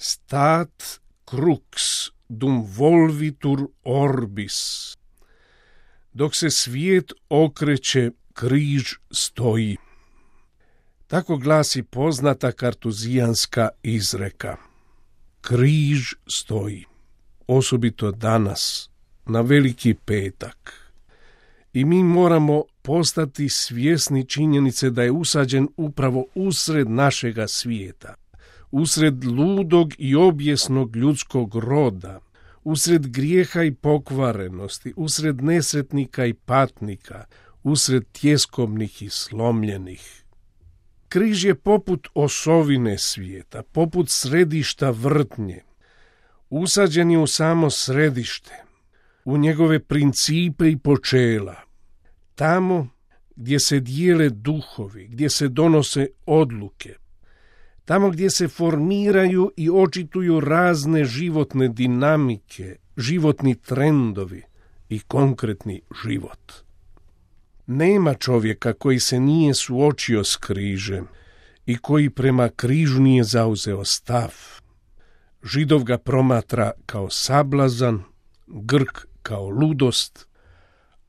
Stat crux dum volvitur orbis. Dok se svijet okreće, križ stoji. Tako glasi poznata kartuzijanska izreka. Križ stoji, osobito danas, na Veliki petak. I mi moramo postati svjesni činjenice da je usađen upravo usred našega svijeta, usred ludog i objesnog ljudskog roda, usred grijeha i pokvarenosti, usred nesretnika i patnika, usred tjeskobnih i slomljenih. Križ je poput osovine svijeta, poput središta vrtnje. Usađen je u samo središte, u njegove principe i počela. Tamo gdje se dijele duhovi, gdje se donose odluke, tamo gdje se formiraju i očituju razne životne dinamike, životni trendovi i konkretni život. Nema čovjeka koji se nije suočio s križem i koji prema križu nije zauzeo stav. Židov ga promatra kao sablazan, Grk kao ludost,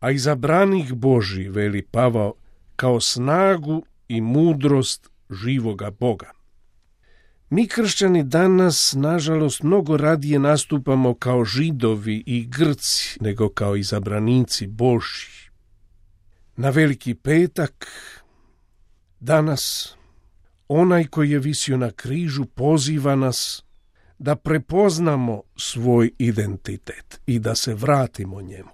a izabranik Božji, veli Pavao, kao snagu i mudrost živoga Boga. Mi kršćani danas, nažalost, mnogo radije nastupamo kao Židovi i Grci nego kao izabranici Božji. Na Veliki petak, danas, onaj koji je visio na križu poziva nas da prepoznamo svoj identitet i da se vratimo njemu.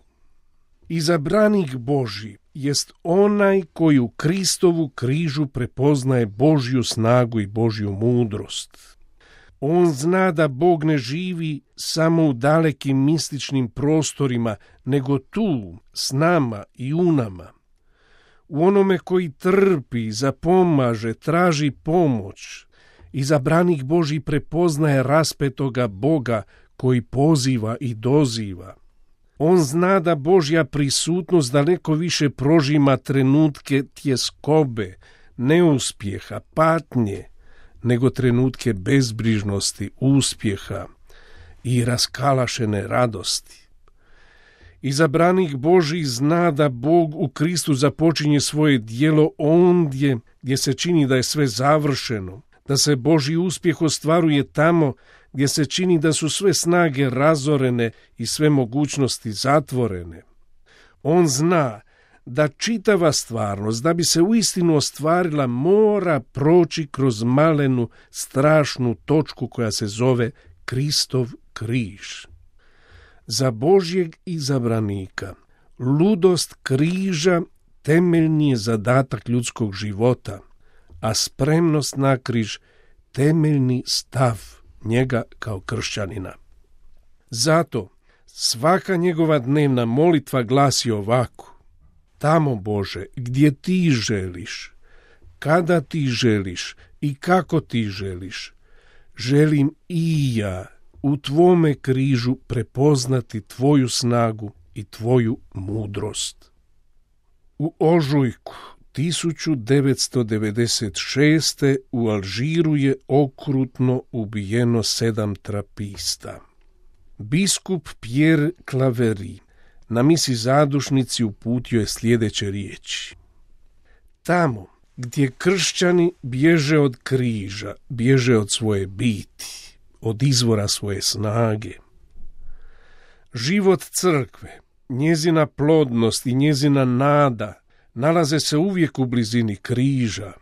Izabranik Božji jest onaj koji u Kristovu križu prepoznaje Božju snagu i Božju mudrost. On zna da Bog ne živi samo u dalekim mističnim prostorima, nego tu, s nama i u nama. U onome koji trpi, zapomaže, traži pomoć. Izabranik Božji prepoznaje raspetoga Boga koji poziva i doziva. On zna da Božja prisutnost daleko više prožima trenutke tjeskobe, neuspjeha, patnje, nego trenutke bezbrižnosti, uspjeha i raskalašene radosti. Izabranik Božji zna da Bog u Kristu započinje svoje djelo ondje gdje se čini da je sve završeno, da se Božji uspjeh ostvaruje tamo gdje se čini da su sve snage razorene i sve mogućnosti zatvorene. On zna da čitava stvarnost, da bi se uistinu ostvarila, mora proći kroz malenu, strašnu točku koja se zove Kristov križ. Za Božjeg izabranika ludost križa temeljni je zadatak ljudskog života, a spremnost na križ temeljni stav njega kao kršćanina. Zato svaka njegova dnevna molitva glasi ovako: Tamo, Bože, gdje ti želiš, kada ti želiš i kako ti želiš, želim i ja u tvome križu prepoznati tvoju snagu i tvoju mudrost. U ožujku 1996. u Alžiru je okrutno ubijeno 7 trapista. Biskup Pierre Claverie na misi zadušnici uputio je sljedeće riječi: Tamo gdje kršćani bježe od križa, bježe od svoje biti, od izvora svoje snage. Život crkve, njezina plodnost i njezina nada nalaze se uvijek u blizini križa.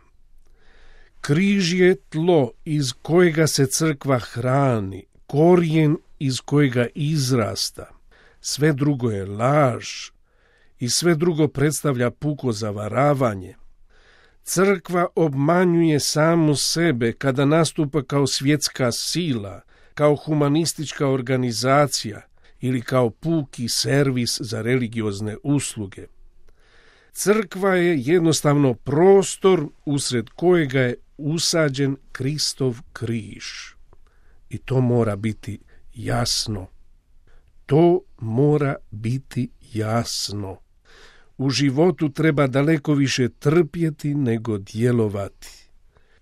Križ je tlo iz kojega se crkva hrani, korijen iz kojega izrasta. Sve drugo je laž i sve drugo predstavlja puko zavaravanje. Crkva obmanjuje samu sebe kada nastupa kao svjetska sila, kao humanistička organizacija ili kao puki servis za religiozne usluge. Crkva je jednostavno prostor usred kojega je usađen Kristov križ. I to mora biti jasno. To mora biti jasno. U životu treba daleko više trpjeti nego djelovati.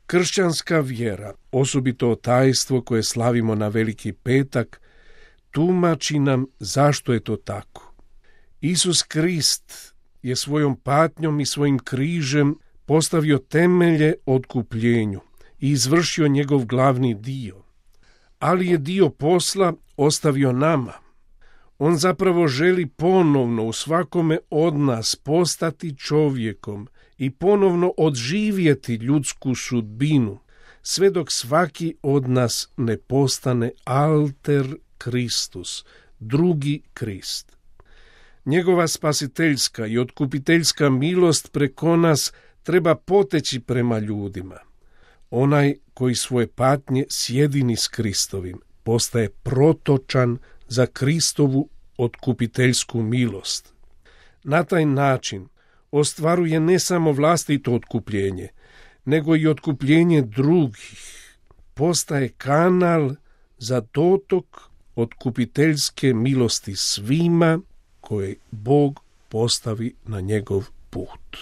Kršćanska vjera, osobito tajstvo koje slavimo na Veliki petak, tumači nam zašto je to tako. Isus Krist je svojom patnjom i svojim križem postavio temelje otkupljenju i izvršio njegov glavni dio, ali je dio posla ostavio nama. On zapravo želi ponovno u svakome od nas postati čovjekom i ponovno odživjeti ljudsku sudbinu, sve dok svaki od nas ne postane alter Kristus, drugi Krist. Njegova spasiteljska i otkupiteljska milost preko nas treba poteći prema ljudima. Onaj koji svoje patnje sjedini s Kristovim postaje protočan za Kristovu otkupiteljsku milost. Na taj način ostvaruje ne samo vlastito otkupljenje, nego i otkupljenje drugih. Postaje kanal za dotok otkupiteljske milosti svima koje Bog postavi na njegov put.